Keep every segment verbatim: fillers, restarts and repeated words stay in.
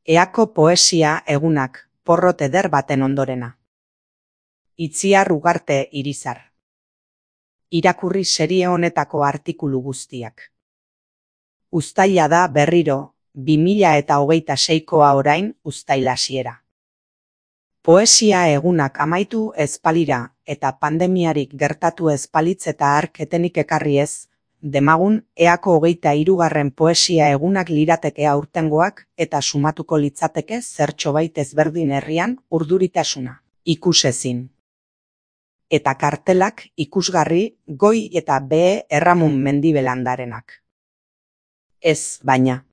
Eako poesia egunak, porrot eder baten ondorena. Itziar Ugarte Irizar. Irakurri serie honetako artikulu guztiak. Uztaila da berriro, bi mila eta hogeita seikoa orain uztail hasiera. Poesia egunak amaitu ez balira eta pandemiarik gertatu ez balitz eta hark etenik ekarri ez, demagun eako hogeita hirugarren poesia egunak lirateke aurtengoak eta sumatuko litzateke zertxobait ezberdin herrian urduritasuna, ikusezin. Eta kartelak ikusgarri goi eta behe erramun mendibelandarenak. Ez, baina.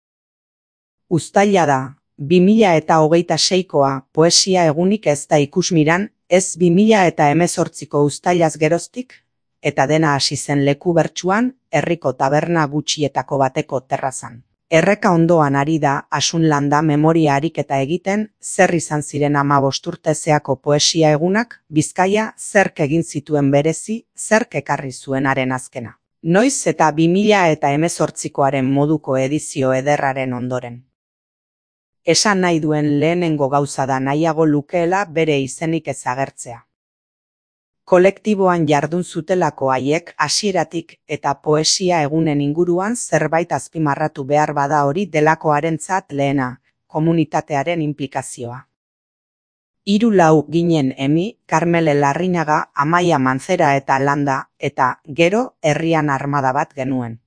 Uztaila da, bi mila eta hogeita seikoa poesia egunik ez da ikusmiran, ez bi mila eta hemezortziko uztailaz geroztik, eta dena hasi zen leku bertsuan, herriko taberna gutxietako bateko terrazan. Erreka ondoan ari da Asunlanda memoria ariketa egiten, zer izan ziren hamabost urtezeako poesia egunak, Bizkaia zerk egin zituen berezi, zerk ekarri zuenaren azkena. Noiz eta bi mila eta hemezortzikoaren moduko edizio ederraren ondoren. Esan nahi duen lehenengo gauza da nahiago lukeela bere izenik ezagertzea. Kolektiboan jardun zutelako haiek hasieratik eta poesia egunen inguruan zerbait azpimarratu behar bada hori delakoarentzat lehena, komunitatearen inplikazioa. Hiru lau ginen Emi, Karmele Larrinaga, Amaia Manzera eta Landa, eta gero herrian armada bat genuen.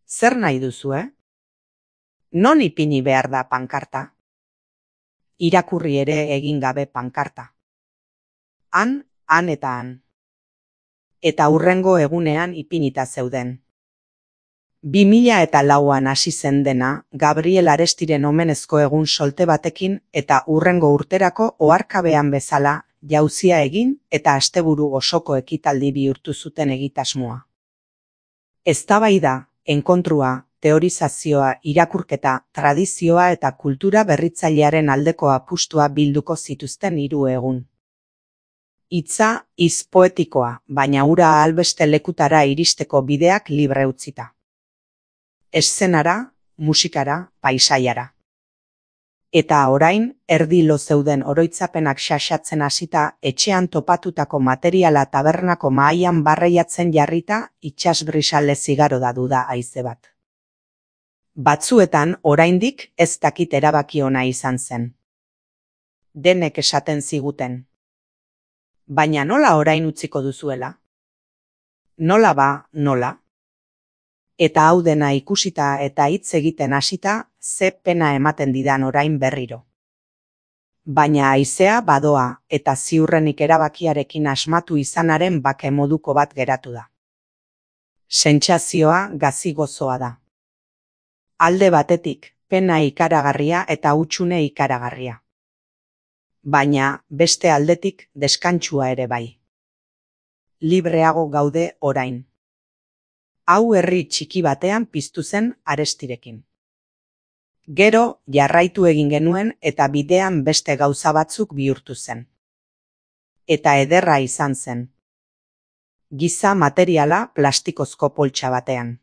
Zer nahi duzue? Non ipini behar da pankarta? Irakurri ere egin gabe pankarta. Han, han eta han. Eta hurrengo egunean ipinita zeuden. Bi mila eta lauan hasi zen dena, Gabriel Arestiren omenezko egun solte batekin eta hurrengo urterako oharkabean bezala, jauzia egin eta asteburu osoko ekitaldi bihurtu zuten egitasmoa. Eztabaida, enkontrua, teorizazioa, irakurketa, tradizioa eta kultura berritzailearen aldeko apustua bilduko zituzten hiru egun. Hitza, hitz poetikoa, baina hura albeste lekutara iristeko bideak libre utzita. Eszenara, musikara, paisaiara. Eta orain, erdi lo zeuden oroitzapenak xaxatzen hasita, etxean topatutako materiala tabernako mahaian barreiatzen jarrita, itsasbrisale zigaro da duda haize bat. Batzuetan, oraindik ez dakit erabaki ona izan zen. Denek esaten ziguten. Baina nola orain utziko duzuela? Nola ba, nola? Eta hau dena ikusita eta hitz egiten hasita, ze pena ematen didan orain berriro. Baina haizea badoa eta ziurrenik erabakiarekin asmatu izanaren bake moduko bat geratu da. Sentsazioa gazi gozoa da. Alde batetik, pena ikaragarria eta hutsune ikaragarria. Baina beste aldetik deskantsua ere bai. Libreago gaude orain. Hau herri txiki batean piztu zen Arestirekin. Gero jarraitu egin genuen eta bidean beste gauza batzuk bihurtu zen. Eta ederra izan zen. Giza materiala plastikozko poltsa batean.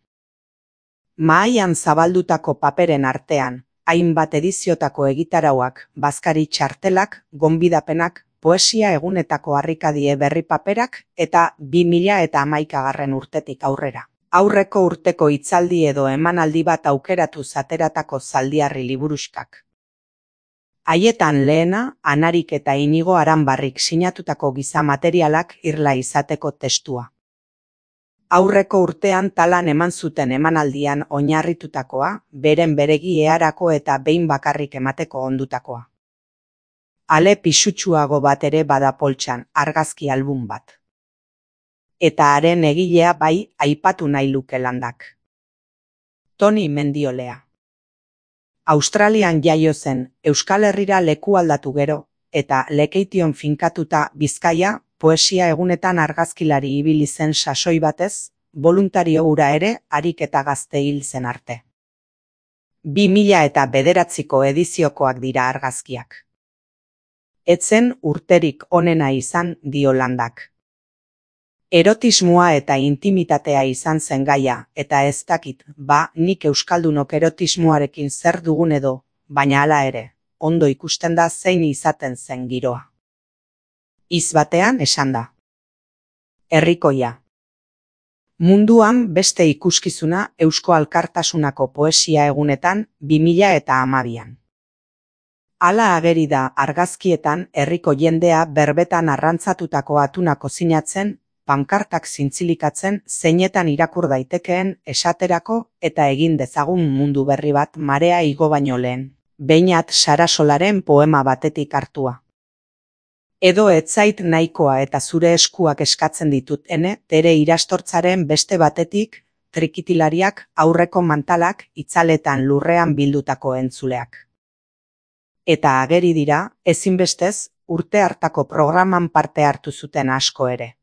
Mahaian zabaldutako paperen artean, hainbat ediziotako egitarauak, bazkari txartelak, gonbidapenak, poesia egunetako harrikadie berri paperak eta bi mila eta hamaikagarren urtetik aurrera. Aurreko urteko hitzaldi edo emanaldi bat aukeratu zateratako zaldiarri liburuskak. Haietan lehena, Anarik eta Inigo Aranbarrik sinatutako giza materialak irla izateko testua. Aurreko urtean talan eman zuten emanaldian oinarritutakoa, beren beregi eharako eta behin bakarrik emateko ondutakoa. Ale pisutsuago bat ere bada poltsan, argazki album bat. Eta haren egilea bai aipatu nahi luke Landak. Toni Mendiolea. Australian jaio zen, Euskal Herrira leku aldatu gero, eta Lekeition finkatuta Bizkaia, poesia egunetan argazkilari ibili zen sasoi batez, boluntario hura ere harik eta gazte hil zen arte. Bi mila eta bederatziko ediziokoak dira argazkiak. Etzen urterik onena izan dio Landak. Erotismoa eta intimitatea izan zen gaia, eta ez dakit, ba, nik euskaldunok erotismoarekin zer dugun edo, baina hala ere, ondo ikusten da zein izaten zen giroa. Hitz batean esan da. Herrikoia. Munduan beste ikuskizuna Eusko Alkartasunako poesia egunetan bi mila hamabian. Hala ageri da argazkietan herriko jendea berbetan arrantzatutako atuna kozinatzen, pankartak zintzilikatzen zeinetan irakur daitekeen esaterako eta egin dezagun mundu berri bat marea igo baino lehen, Beñat Sarasolaren poema batetik hartua. Edo ez zait nahikoa eta zure eskuak eskatzen ditut ene, tere irastortzaren beste batetik, trikitilariak, aurreko mantalak, itzaletan lurrean bildutako entzuleak. Eta ageri dira, ezinbestez, urte hartako programan parte hartu zuten asko ere.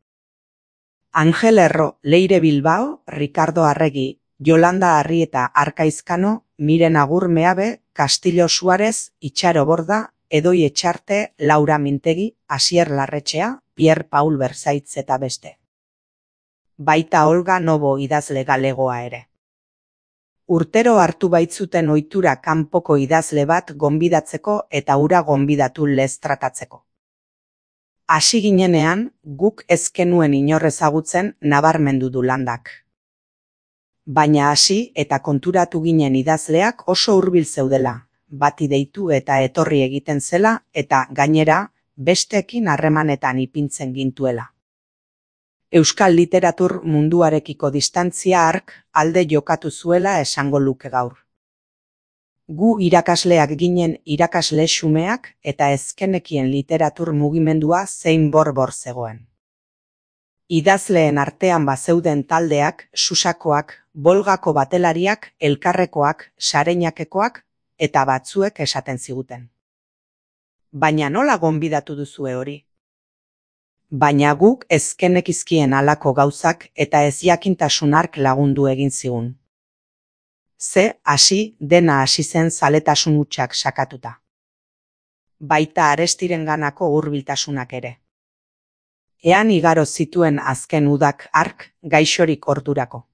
Angel Erro, Leire Bilbao, Ricardo Arregi, Yolanda Arrieta Arkaizkano, Miren Agur Meabe, Castillo Suárez, Itxaro Borda, Edoi Etxarte, Laura Mintegi, Asier Larretxea, Pierre Paul Berzaitz eta beste. Baita Olga Nobo idazle galegoa ere. Urtero hartu baitzuten ohitura kanpoko idazle bat gonbidatzeko eta hura gonbidatu lez tratatzeko. Hasi ginenean, guk ez genuen inor ezagutzen nabarmendu du Landak. Baina hasi eta konturatu ginen idazleak oso hurbil zeudela, bati deitu eta etorri egiten zela eta gainera besteekin harremanetan ipintzen gintuela. Euskal literatur munduarekiko distantzia hark alde jokatu zuela esango luke gaur. Gu irakasleak ginen irakasle xumeak eta ezkenekien literatur mugimendua zein bor-bor zegoen. Idazleen artean bazeuden taldeak, Susakoak, Bolgako batelariak, Elkarrekoak, Sareinakekoak eta batzuek esaten ziguten. Baina nola gonbidatu duzue hori? Baina guk ezkenekizkien halako gauzak eta ez jakintasun hark lagundu egin zigun. Ze hasi dena hasi zen zaletasun hutsak sakatuta. Baita Arestirenganako hurbiltasunak ere. Ean igaro zituen azken udak hark gaixorik ordurako.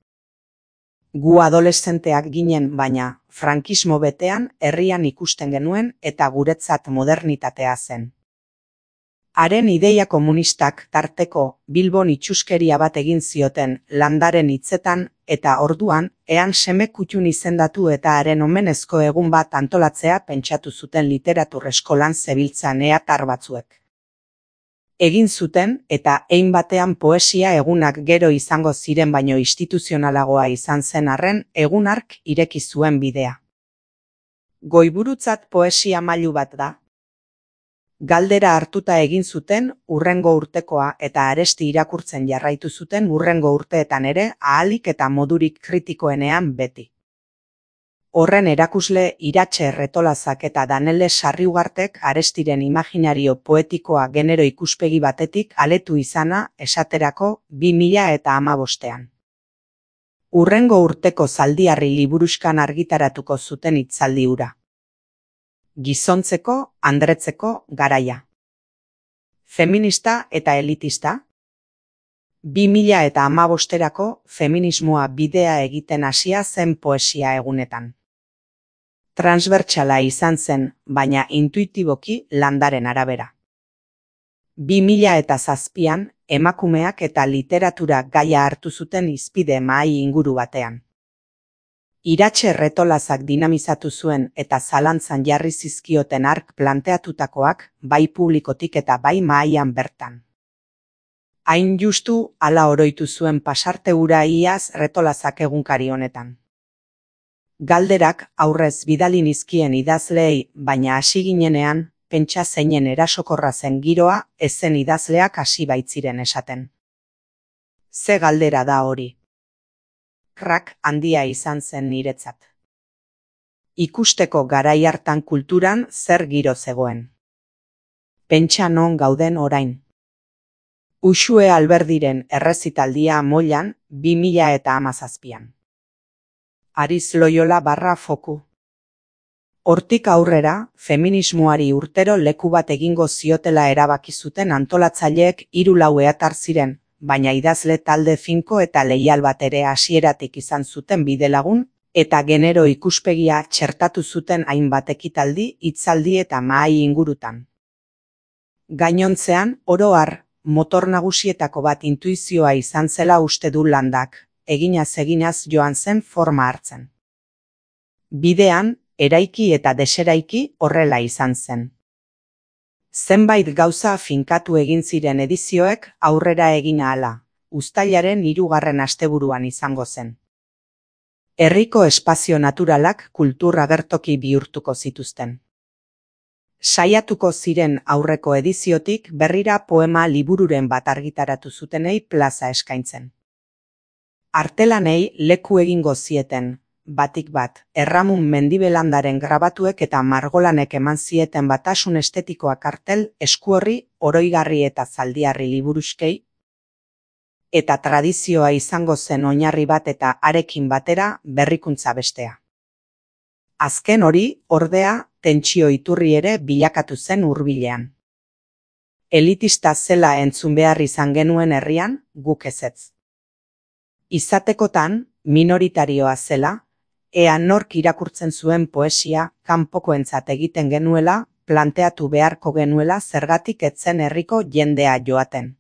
Gu adoleszenteak ginen baina, frankismo betean herrian ikusten genuen eta guretzat modernitatea zen. Haren ideia komunistak tarteko Bilbon itxuskeria bat egin zioten Landaren hitzetan eta orduan ean seme kutxun izendatu eta haren omenezko egun bat antolatzea pentsatu zuten literatur eskolan zebiltzan eatar batzuek. Egin zuten eta hein batean poesia egunak gero izango ziren baino instituzionalagoa izan zen arren egun hark ireki zuen bidea. Goiburutzat poesia mailu bat da. Galdera hartuta egin zuten hurrengo urtekoa eta Aresti irakurtzen jarraitu zuten hurrengo urteetan ere ahalik eta modurik kritikoenean beti. Horren erakusle Iratxe Erretolazak eta Danele Sarriugartek Arestiren imaginario poetikoa genero ikuspegi batetik aletu izana esaterako bi mila hamabostean. Hurrengo urteko Zaldiarri liburuskan argitaratuko zuten hitzaldi hura. Gizontzeko, andretzeko garaia. Feminista eta elitista. bi mila hamabosterako feminismoa bidea egiten hasia zen poesia egunetan. Transbertsala izan zen, baina intuitiboki Landaren arabera. bi mila zazpian emakumeak eta literatura gaia hartu zuten hizpide mahai inguru batean. Iratxe Erretolazak dinamizatu zuen eta zalantzan jarri zizkioten hark planteatutakoak bai publikotik eta bai mahaian bertan. Hain justu hala oroitu zuen pasarte hura iaz Erretolazak egunkari honetan. Galderak aurrez bidali nizkien idazleei, baina hasi ginenean, pentsa zeinen erasokorra zen giroa, ezen idazleak hasi baitziren esaten. Ze galdera da hori? Krak handia izan zen niretzat. Ikusteko garai hartan kulturan zer giro zegoen. Pentsa non gauden orain. Uxue Alberdiren errezitaldia Mollan bi mila hamazazpian. Ariz Loyola barra foku. Hortik aurrera, feminismoari urtero leku bat egingo ziotela erabaki zuten antolatzaileek hiru lau eatar ziren, baina idazle talde finko eta leial bat ere hasieratik izan zuten bidelagun, eta genero ikuspegia txertatu zuten hainbat ekitaldi, hitzaldi eta mahai ingurutan. Gainontzean, oro har, motor nagusietako bat intuizioa izan zela uste du Landak, eginaz eginaz joan zen forma hartzen. Bidean, eraiki eta deseraiki horrela izan zen. Zenbait gauza finkatu egin ziren edizioek aurrera egin ahala, uztailaren hirugarren asteburuan izango zen. Herriko espazio naturalak kultur agertoki bihurtuko zituzten. Saiatuko ziren aurreko ediziotik berrira poema libururen bat argitaratu zutenei plaza eskaintzen. Artelanei leku egingo zieten, batik bat, Erramun Mendibelandaren grabatuek eta margolanek eman zieten batasun estetikoa kartel, eskuorri, oroigarri eta zaldiarri liburuskei, eta tradizioa izango zen oinarri bat eta arekin batera berrikuntza bestea. Azken hori, ordea, tentsio iturri ere bilakatu zen hurbilean. Elitista zela entzun behar izan genuen herrian, guk ezetz. Izatekotan, minoritarioa zela, ea nork irakurtzen zuen poesia kanpokoentzat egiten genuela, planteatu beharko genuela zergatik etzen herriko jendea joaten.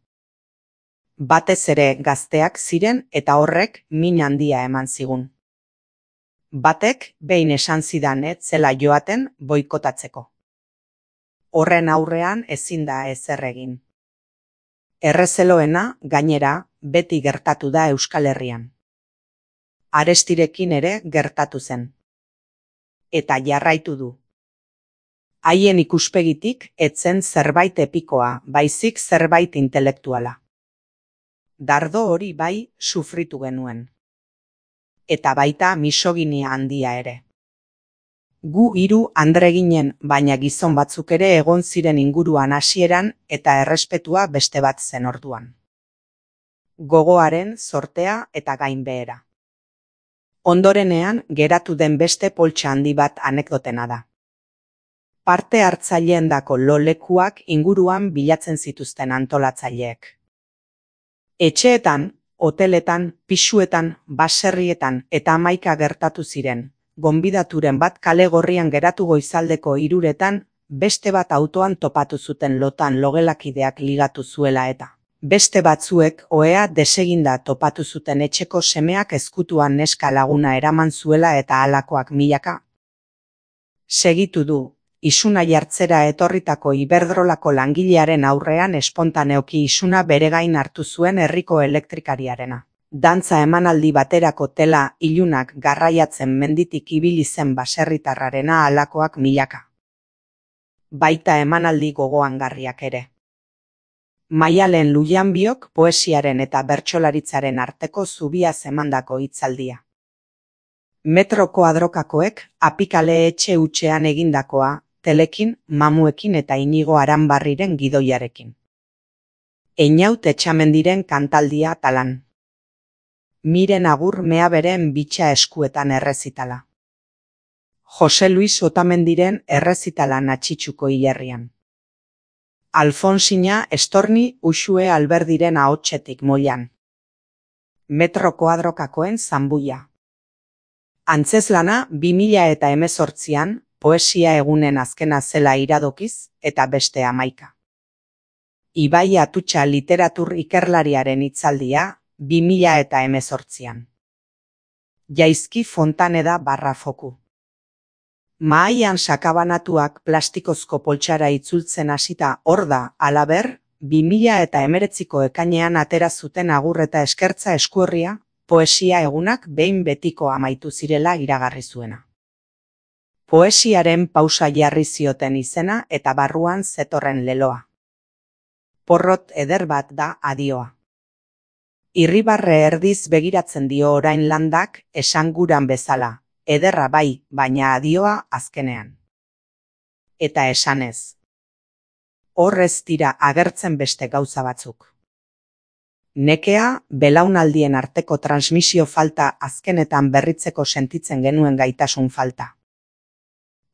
Batez ere gazteak ziren eta horrek min handia eman zigun. Batek behin esan zidan ez zela joaten boikotatzeko. Horren aurrean ezin da ezer egin. Errezeloena, gainera, beti gertatu da Euskal Herrian. Arestirekin ere gertatu zen. Eta jarraitu du. Haien ikuspegitik etzen zerbait epikoa, baizik zerbait intelektuala. Dardo hori bai sufritu genuen. Eta baita misoginia handia ere. Gu hiru andre ginen, baina gizon batzuk ere egon ziren inguruan hasieran eta errespetua beste bat zen orduan. Gogoaren, zortea eta gainbehera. Ondorenean geratu den beste poltsa handi bat anekdotena da. Parte hartzaileendako lo lekuak inguruan bilatzen zituzten antolatzaileek. Etxeetan, hoteletan, pisuetan, baserrietan eta hamaika gertatu ziren, gonbidaturen bat kale gorrian geratu goizaldeko hiruretan, beste bat autoan topatu zuten lotan logelakideak ligatu zuela eta. Beste batzuek ohea deseginda topatu zuten etxeko semeak ezkutuan neska laguna eraman zuela eta halakoak milaka. Segitu du, isuna jartzera etorritako Iberdrolako langilearen aurrean espontaneoki isuna bere gain hartu zuen herriko elektrikariarena. Dantza emanaldi baterako tela ilunak garraiatzen menditik ibili zen baserritarrarena halakoak milaka. Baita emanaldi gogoangarriak ere. Maialen Lujanbiok poesiaren eta bertsolaritzaren arteko zubia zemandako hitzaldia. Metro koadrokakoek apikale etxe hutsean egindakoa, telekin, mamuekin eta Inigo Aranbarriren gidoiarekin. Einaut Etxamendiren kantaldia talan. Miren Agur Meaberen bitxa eskuetan errezitala. Jose Luis Otamendiren errezitala Natxitxuko hilerrian. Alfonsina Estorni Uxue Alberdiren ahotsetik moilan. Metro koadrokakoen zanbuia. Antzeslana bi mila eta hemezortzian, poesia egunen azkena zela iradokiz, eta beste hamaika. Ibai Atutxa literatur ikerlariaren hitzaldia, bi mila eta hemezortzian. Jaizki Fontaneda barra foku. Mahaian sakabanatuak plastikozko poltsara itzultzen hasita hor da, halaber, bi mila eta hemeretziko ekainean atera zuten agur eta eskertza eskuorria, poesia egunak behin betiko amaitu zirela iragarri zuena. Poesiaren pausa jarri zioten izena eta barruan zetorren leloa. Porrot eder bat da adioa. Irribarre erdiz begiratzen dio orain Landak esanguran bezala, ederra bai, baina adioa azkenean. Eta esanez. Horrez dira agertzen beste gauza batzuk. Nekea, belaunaldien arteko transmisio falta azkenetan berritzeko sentitzen genuen gaitasun falta.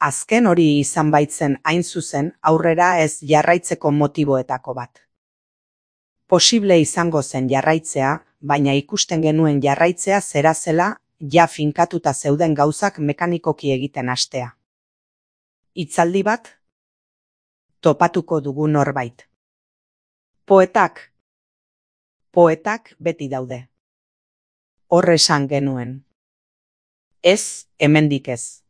Azken hori izan baitzen hain zuzen aurrera ez jarraitzeko motiboetako bat. Posible izango zen jarraitzea, baina ikusten genuen jarraitzea zera zela ja finkatuta zeuden gauzak mekanikoki egiten hastea. Hitzaldi bat? Topatuko dugu norbait. Poetak? Poetak beti daude. Hor esan genuen. Ez, hemendik ez.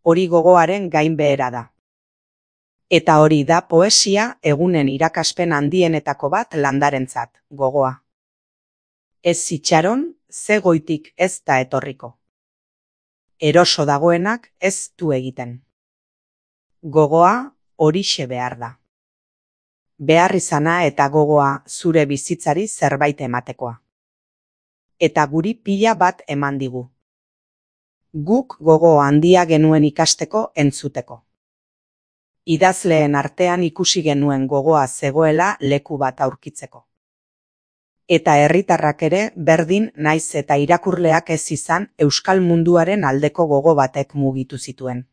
Hori gogoaren gainbehera da. Eta hori da poesia egunen irakaspen handienetako bat landarentzat, gogoa. Ez itxaron, ze goitik ez da etorriko. Eroso dagoenak ez du egiten. Gogoa horixe behar da. Behar izana eta gogoa zure bizitzari zerbait ematekoa. Eta guri pila bat eman digu. Guk gogo handia genuen ikasteko entzuteko. Idazleen artean ikusi genuen gogoa zegoela leku bat aurkitzeko. Eta herritarrak ere berdin naiz eta irakurleak ez izan euskal munduaren aldeko gogo batek mugitu zituen.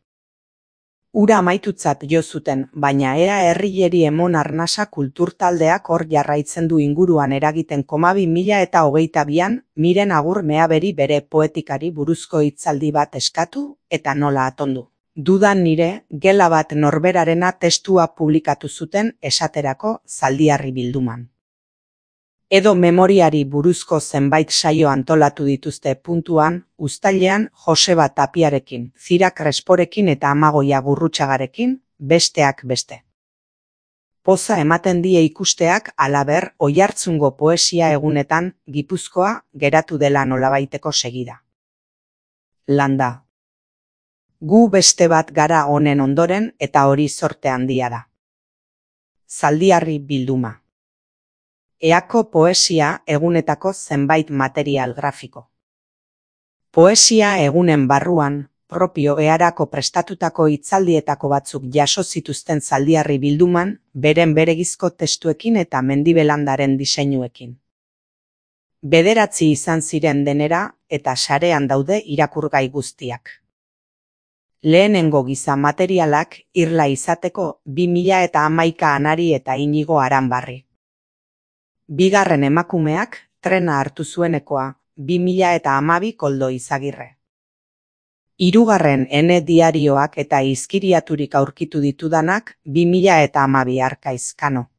Ura amaitutzat jo zuten, baina ea herrileri emon arnasa kulturtaldeak hor jarraitzen du inguruan eragiten koma bi mila eta hogeita bian, Miren Agur Meaberi bere poetikari buruzko hitzaldi bat eskatu eta nola atondu. Dudan nire, gela bat norberarena testua publikatu zuten esaterako Zaldiarri bilduman. Edo memoriari buruzko zenbait saio antolatu dituzte puntuan, uztailean Joseba Tapiarekin, Zira Kresporekin eta Amagoia Gurrutxagarekin, besteak beste. Poza ematen die ikusteak halaber Oiartzungo poesia egunetan Gipuzkoa geratu dela nolabaiteko segida. Landa. Gu beste bat gara honen ondoren eta hori zorte handia da. Zaldiarri bilduma. Eako poesia egunetako zenbait material grafiko. Poesia egunen barruan, propio earako prestatutako hitzaldietako batzuk jaso zituzten Zaldiarri bilduman, beren beregizko testuekin eta mendibelandaren diseinuekin. Bederatzi izan ziren denera eta sarean daude irakurgai guztiak. Lehenengo giza materialak irla izateko bi mila eta hamaika Anari eta Inigo Aranbarri. Bigarren emakumeak trena hartu zuenekoa bi mila eta hamabi Koldo Izagirre. Hirugarren Ene diarioak eta izkiriaturik aurkitu ditudanak bi mila eta hamabi Arkaiz Kano.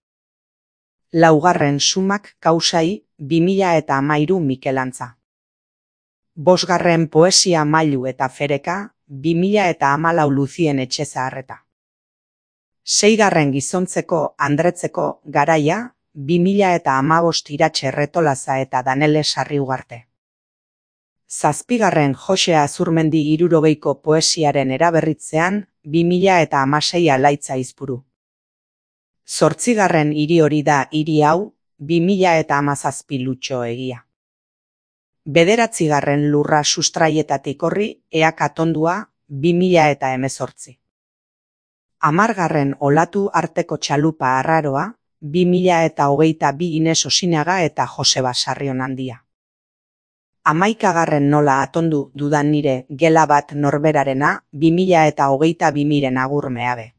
Laugarren Sumak Kausai bi mila eta hamairu Mikel Antza. Bosgarren Poesia Mailu eta Fereka bi mila eta hamalau Luzien Etxezaharreta. Seigarren Gizontzeko Andretzeko Garaia bi mila eta hamabost Iratxe Erretolaza eta Danele Sarriugarte. Zazpigarren Jose Azurmendi hirurogeiko poesiaren eraberritzean bi mila eta hamasei Alaitza Izpuru. Zortzigarren hiri hori da hiri hau bi mila eta hamazazpi Lutxo Egia. Bederatzigarren Lurra sustraietatik horri Eak Atondua bi mila eta hemezortzi. Hamargarren Olatu arteko txalupa arraroa bi mila eta hogeita bi Ines Osinaga eta Joseba Sarrionandia. Hamaikagarren Nola atondu dudan nire gela bat norberarena bi mila eta hogeita bi Miren Agur Meabe.